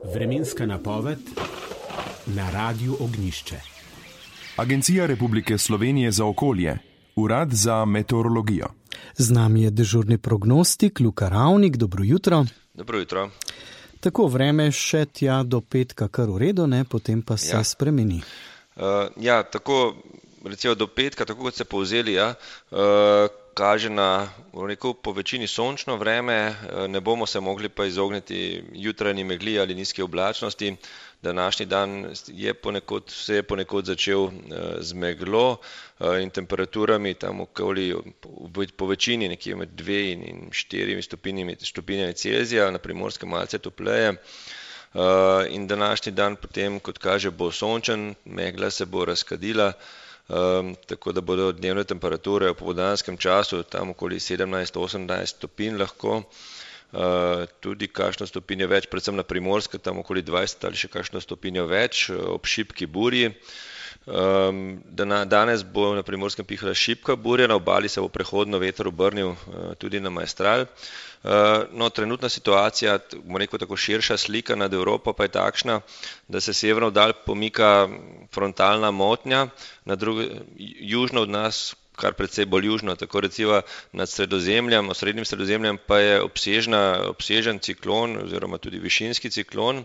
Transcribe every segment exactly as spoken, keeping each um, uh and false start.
Vremenska napoved na Radiu Ognjišče. Agencija Republike Slovenije za okolje, Urad za meteorologijo. Z nami je dežurni prognostik Luka Ravnik. Dobro jutro. Dobro jutro. Tako, vreme še tja do petka kar v redu, ne? Potem pa se ja. spremeni. Uh, ja, tako recimo do petka, tako kot ste povzeli, ja, uh, kaže na rekel, po večini sončno vreme, ne bomo se mogli pa izogniti jutranji megli ali nizke oblačnosti. Današnji dan je ponekod, se je ponekod začel z meglo in temperaturami tam okoli po večini nekje med dve in štirimi stopinjami, stopinjami Celzija, na Primorskem malce topleje. In današnji dan potem, kot kaže, bo sončen, megla se bo razkadila. Um, tako da bodo dnevne temperature v popoldanskem času tam okoli sedemnajst do osemnajst stopinj lahko, uh, tudi kakšno stopinjo več, predvsem na Primorske, tam okoli dvajset ali še kakšno stopinjo več ob šibki burji. Um, danes bo na Primorskem pihala šibka burja, na obali se bo prehodno veter obrnil uh, tudi na Maestral. Uh, no, trenutna situacija, bomo rekel tako širša slika nad Evropo pa je takšna, da se severno dal pomika frontalna motnja, na druge, južno od nas, kar precej bolj južno, tako recimo nad Sredozemljem, osrednjim Sredozemljem pa je obsežna, obsežen ciklon oziroma tudi višinski ciklon.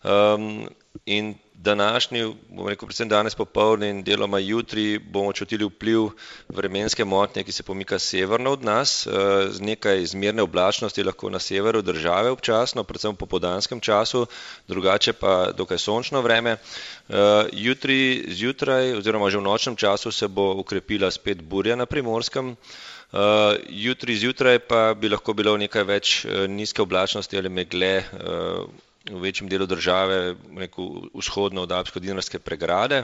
Um, in današnji, bomo rekel predvsem danes popoldne in deloma jutri bomo čutili vpliv vremenske motnje, ki se pomika severno od nas, z nekaj zmerne oblačnosti lahko na severu države občasno, predvsem v popoldanskem času, drugače pa dokaj sončno vreme. Jutri zjutraj oziroma že v nočnem času se bo ukrepila spet burja na Primorskem. Jutri zjutraj pa bi lahko bilo nekaj več nizke oblačnosti ali megle v večjem delu države, neko vzhodno od alpsko-dinarske pregrade,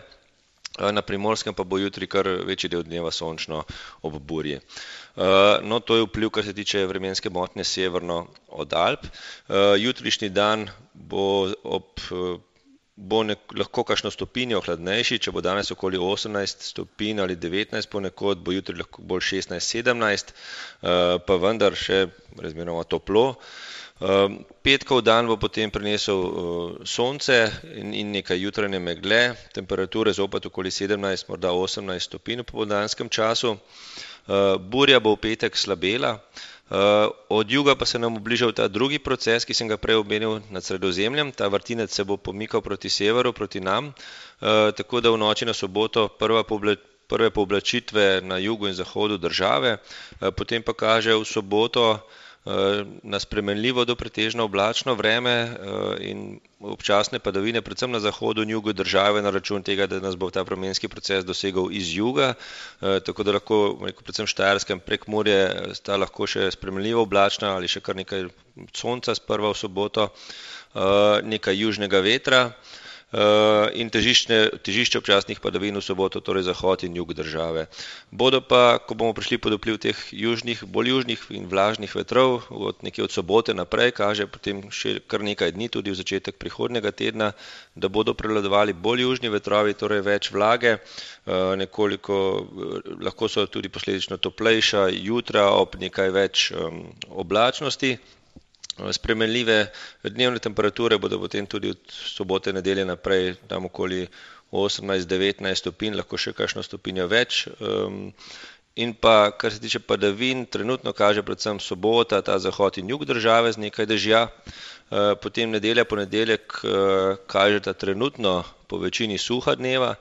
na Primorskem pa bo jutri kar večji del dneva sončno ob burji. No, to je vpliv, kar se tiče vremenske motnje severno od Alp. Jutrišnji dan bo ob bo nek, lahko kakšno stopinjo hladnejši, če bo danes okoli osemnajst stopinj ali devetnajst ponekod, bo jutri lahko bolj šestnajst sedemnajst, pa vendar še razmeroma toplo. Petkov dan bo potem prinesel sonce in, in nekaj jutranje megle, temperature zopet okoli sedemnajst, morda osemnajst stopinj v popoldanskem času. Burja bo v petek slabela, od juga pa se nam obližal ta drugi proces, ki sem ga prej omenil nad Sredozemljem. Ta vrtinec se bo pomikal proti severu, proti nam, tako da v noči na soboto prva poblačitev prve pooblačitve na jugu in zahodu države, potem pa kaže v soboto na spremenljivo do pretežno oblačno vreme in občasne padavine, predvsem na zahodu in jugu države, na račun tega, da nas bo ta vremenski proces dosegal iz juga, tako da lahko, rekel, predvsem Štajerskem Prekmurje sta lahko še spremenljivo oblačna ali še kar nekaj sonca sprva v soboto, nekaj južnega vetra in težišče, težišče občasnih padavin v soboto, torej zahod in jug države. Bodo pa, ko bomo prišli pod vpliv teh južnih, bolj južnih in vlažnih vetrov, od nekje od sobote naprej, kaže potem še kar nekaj dni, tudi v začetek prihodnjega tedna, da bodo prevladovali bolj južni vetrovi, torej več vlage, nekoliko, lahko so tudi posledično toplejša jutra ob nekaj več oblačnosti. Spremenljive dnevne temperature bodo potem tudi od sobote nedelje naprej tam okoli osemnajst devetnajst stopinj, lahko še kakšno stopinjo več. In pa, kar se tiče padavin, trenutno kaže predvsem sobota, ta zahod in jug države z nekaj dežja. Potem nedelja, ponedeljek kaže ta trenutno po večini suha dneva.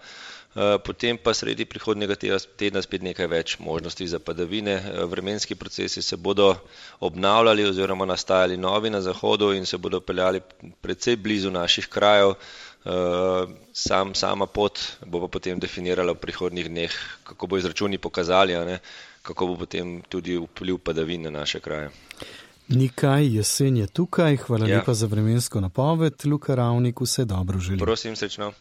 Potem pa sredi prihodnjega tedna spet nekaj več možnosti za padavine. Vremenski procesi se bodo obnavljali oziroma nastajali novi na zahodu in se bodo peljali precej blizu naših krajev. Sam, sama pot bo pa potem definirala v prihodnjih dneh, kako bo izračuni pokazali, a ne, kako bo potem tudi vpliv padavin na naše kraje. Nikaj, jesen je tukaj. Hvala ja. lepa za vremensko napoved. Luka Ravnik, vse dobro želim. Prosim, srečno.